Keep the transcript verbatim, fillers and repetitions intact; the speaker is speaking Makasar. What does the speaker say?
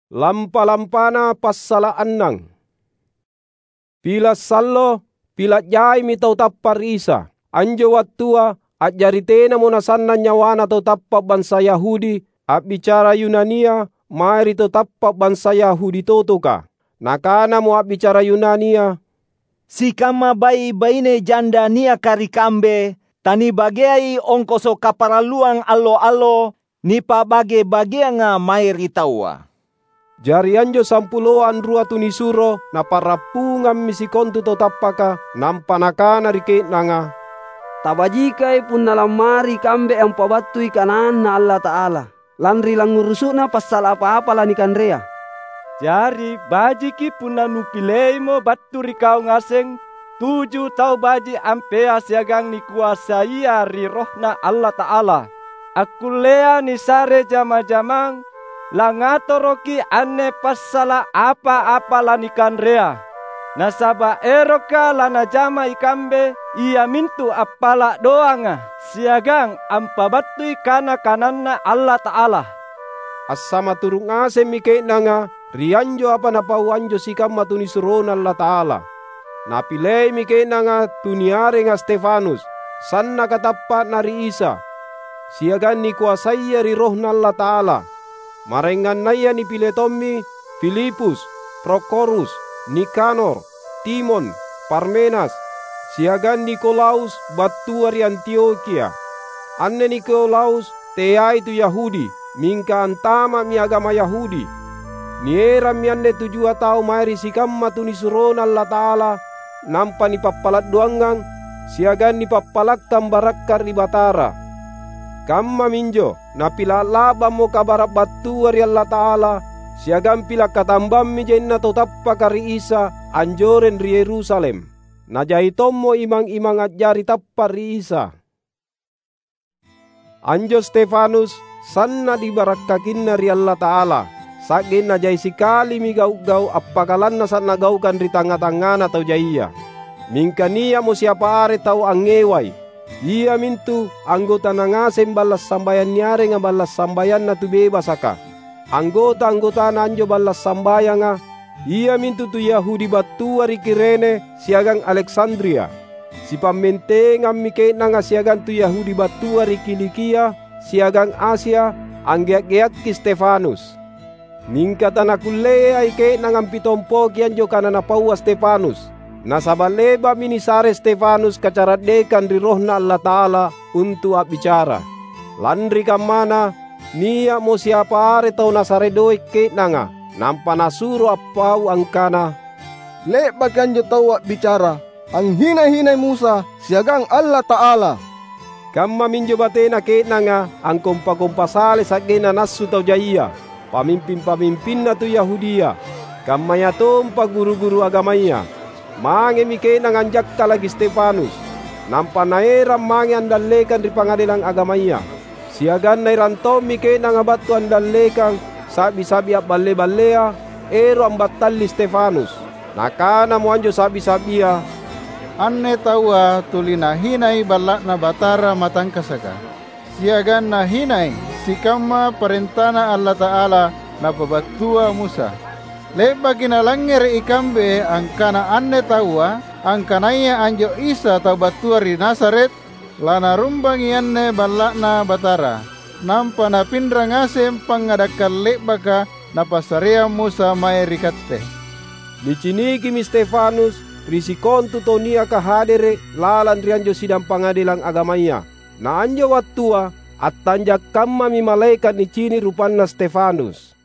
Lampa-lampana passala’ annang. Pila’ sallo, pila’ jaimi tau tappa’ ri Isa. Anjo wattua a'jari tenamo nasannang nyawana tau tappa’ bansa Yahudi a'bicara Yunania mae ri tau tappa’ bansa Yahudi totoka. Nakanamo a'bicara Yunania, "Sikamma bai’-baine janda niaka ri kambe tanibageai ongkoso kaparalluang allo-allo nipa'bage-bageanga mae ri taua." Jari anjo sampuloa anrua tunisuro napa'rappungammi sikontu tau tappaka, nampa nakana ri ke'nanga, "Tabajikai punna lammari ikambe ampabattui kanaanNa Allata'ala, lanri langngurusu'na passala’ apa-apa lanikanrea. Jari, bajiki punna nupileimo battu ri kau ngaseng tuju tau baji’ ampea siagang nikoasaia ri RohNa Allata'ala, akkullea nisare jama-jamang langatoroki anne passala’ apa-apa lanikanrea. Nasaba’ eroka lanajama ikambe iamintu appala’ doanga siagang ampabattui kana-kananNa Allata'ala." Assamaturu’ ngasemmi ke'nanga ri anjo apa napau anjo sikamma tunisuroNa Allata'ala. Napileimi ke'nanga tu niarenga Stefanus, sannaka tappa'na ri Isa, siagang nikoasaia ri RohNa Allata'ala. Maraengannaya nipile tommi Filipus, Prokhorus, Nikanor, Timon, Parmenas, siagang Nikolaus battua ri Antiokhia. Anne Nikolaus teai tu Yahudi, mingka antama'mi agama Yahudi. Nierammi anne tujua tau mae ri sikamma tunisuroNa Allata'ala, nampa nipappala’ doangang siagang nipappalakkang barakka’ ri Batara. Kammaminjo, napila’ la'bammo kabara’ battua ri Allata'ala, siagang pila’ katambammi jaina tau tappaka ri Isa anjoreng ri Yerusalem. Najai tommo imang-imang a'jari tappa’ ri Isa. Anjo Stefanus sanna’ nibarakkakinna ri Allata'ala, sa'genna jai sikalimi gau’-gau’ appakalannasa’ nagaukang ri tangnga-tangngana tau jaia. Mingka nia'mo siapa are tau angngewai, iamintu anggotana ngaseng balla’ sambayang niarenga balla’ sambayanna tu bebasaka. Anggota-anggotana anjo balla’ sambayanga iamintu tu Yahudi battua ri Kirene siagang Aleksandria. Sipammentengammi ke'nanga siagang tu Yahudi battua ri Kilikia siagang Asia anggea’-geakki Stefanus. Mingka tanakulleai ke'nanga ampitompoki anjo kana napaua Stefanus, nasaba’ le'ba'mi nisare Stefanus kacara'dekang ri RohNa Allata'ala untu’ a'bicara. Lanri kammana, nia'mo siapa are tau nasare doe’ ke'nanga, nampa nasuro appau angkana, "Le'baki anjo taua a'bicara, anghina-hinai Musa siagang Allata'ala." Kammaminjo batena ke'nanga angkompa-kompa sale sa'genna nassu tau jaia, pamimping-pamimpinna tu Yahudia, kammayatompa guru-guru agamaya. Mangemi ke'nanga anjakkalaki Stefanus, nampa naerang mange andallekang ri pangadelang agamaya. Siagang naerang tommi ke'nanga battu andallekang sa'bi-sa'bi a'balle-ballea ero’ ambattalli Stefanus. Nakanamo anjo sa'bi-sa'bia, "Anne taua tuli nahinai Balla'Na Batara matangkasaka, siagang nahinai sikamma parentaNa Allata'ala napabattua Musa. Le'baki nalangngere’ ikambe angkana anne taua angkanaya anjo Isa tau battua ri Nazaret, lanarumbangi anne Balla'Na Batara, nampa napinra ngaseng pangngadakkang le'baka napassareang Musa mae ri katte." Nicinikimi Stefanus ri sikontu tau niaka hadere’ lalang ri anjo sidang pangadelang agamaya. Na anjo wattua, attanjak kammami malaeka’ nicini’ rupanna Stefanus.